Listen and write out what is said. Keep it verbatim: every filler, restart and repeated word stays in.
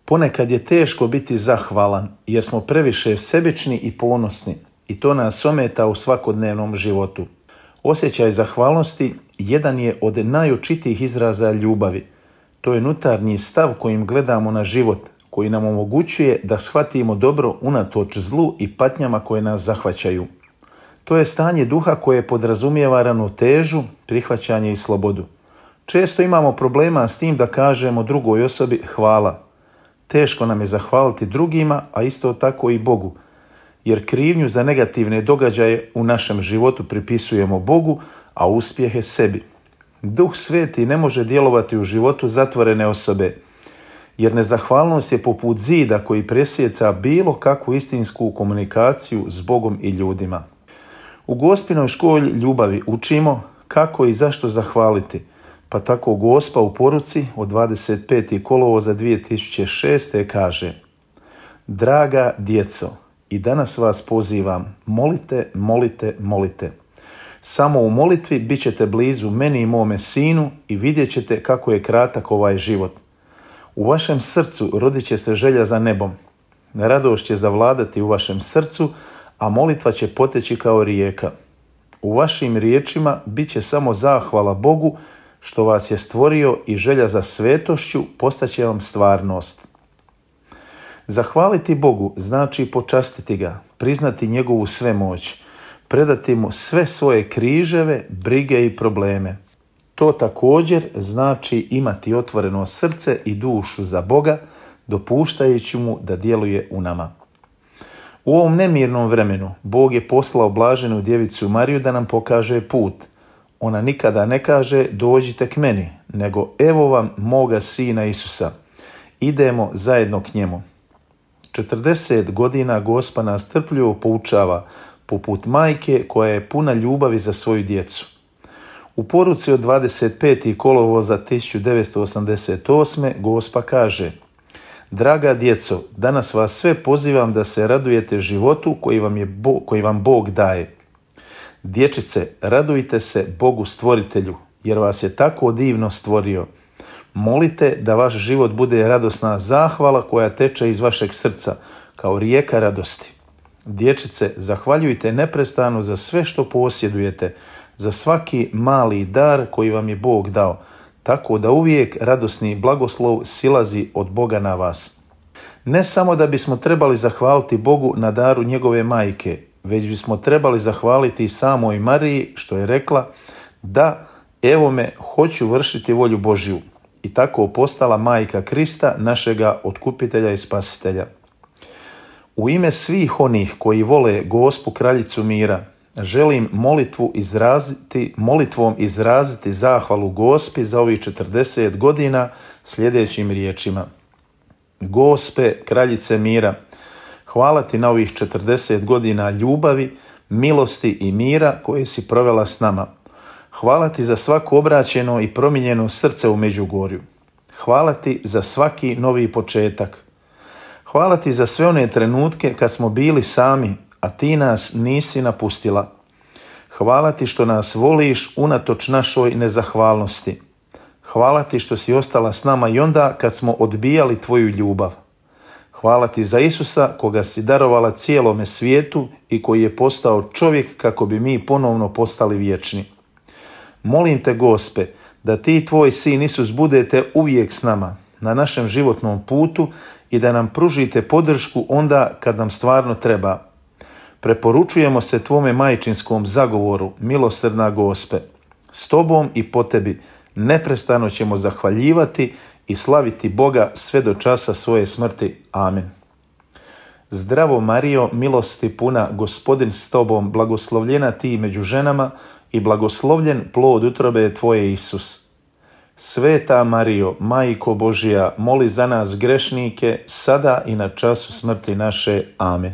Ponekad je teško biti zahvalan jer smo previše sebični i ponosni i to nas ometa u svakodnevnom životu. Osjećaj zahvalnosti jedan je od najočitijih izraza ljubavi. To je unutarnji stav kojim gledamo na život, koji nam omogućuje da shvatimo dobro unatoč zlu i patnjama koje nas zahvaćaju. To je stanje duha koje podrazumijeva ravnotežu, prihvaćanje i slobodu. Često imamo problema s tim da kažemo drugoj osobi hvala. Teško nam je zahvaliti drugima, a isto tako i Bogu, jer krivnju za negativne događaje u našem životu pripisujemo Bogu, a uspjehe sebi. Duh Sveti ne može djelovati u životu zatvorene osobe, jer nezahvalnost je poput zida koji presjeca bilo kakvu istinsku komunikaciju s Bogom i ljudima. U Gospinoj školi ljubavi učimo kako i zašto zahvaliti, pa tako Gospa u poruci od dvadeset petog kolovoza dvije tisuće šeste. kaže: Draga djeco, i danas vas pozivam, molite, molite, molite. Samo u molitvi bit ćete blizu meni i mome sinu i vidjet ćete kako je kratak ovaj život. U vašem srcu rodit će se želja za nebom. Radost će zavladati u vašem srcu, a molitva će poteći kao rijeka. U vašim riječima bit će samo zahvala Bogu što vas je stvorio i želja za svetošću postaće vam stvarnost. Zahvaliti Bogu znači počastiti ga, priznati njegovu svemoć, predati mu sve svoje križeve, brige i probleme. To također znači imati otvoreno srce i dušu za Boga, dopuštajući mu da djeluje u nama. U ovom nemirnom vremenu Bog je poslao blaženu djevicu Mariju da nam pokaže put. Ona nikada ne kaže dođite k meni, nego evo vam moga sina Isusa. Idemo zajedno k njemu. četrdeset godina Gospa nas trpljivo poučava, poput majke koja je puna ljubavi za svoju djecu. U poruci od dvadeset petog kolovoza tisuću devetsto osamdeset osme. Gospa kaže: Draga djeco, danas vas sve pozivam da se radujete životu koji vam, je Bo, koji vam Bog daje. Dječice, radujte se Bogu stvoritelju, jer vas je tako divno stvorio. Molite da vaš život bude radosna zahvala koja teče iz vašeg srca, kao rijeka radosti. Dječice, zahvaljujte neprestano za sve što posjedujete, za svaki mali dar koji vam je Bog dao, tako da uvijek radosni blagoslov silazi od Boga na vas. Ne samo da bismo trebali zahvaliti Bogu na daru njegove majke, već bismo trebali zahvaliti i samoj Mariji što je rekla: da, evo me, hoću vršiti volju Božju, i tako postala majka Krista, našega otkupitelja i spasitelja. U ime svih onih koji vole Gospu kraljicu mira, želim molitvu izraziti, molitvom izraziti zahvalu Gospi za ovih četrdeset godina sljedećim riječima. Gospe, kraljice mira, hvala ti na ovih četrdeset godina ljubavi, milosti i mira koje si provela s nama. Hvala ti za svako obraćeno i promijenjeno srce u Međugorju. Hvala ti za svaki novi početak. Hvala ti za sve one trenutke kad smo bili sami, a ti nas nisi napustila. Hvala ti što nas voliš unatoč našoj nezahvalnosti. Hvala ti što si ostala s nama i onda kad smo odbijali tvoju ljubav. Hvala ti za Isusa koga si darovala cijelome svijetu i koji je postao čovjek kako bi mi ponovno postali vječni. Molim te, Gospe, da ti i tvoj sin Isus budete uvijek s nama na našem životnom putu i da nam pružite podršku onda kad nam stvarno treba. Preporučujemo se tvome majčinskom zagovoru, milosrdna Gospe. S tobom i po tebi neprestano ćemo zahvaljivati i slaviti Boga sve do časa svoje smrti. Amen. Zdravo Marijo, milosti puna, Gospodin s tobom, blagoslovljena ti među ženama i blagoslovljen plod utrobe tvoje Isus. Sveta Marijo, Majko Božja, moli za nas grešnike, sada i na času smrti naše. Amen.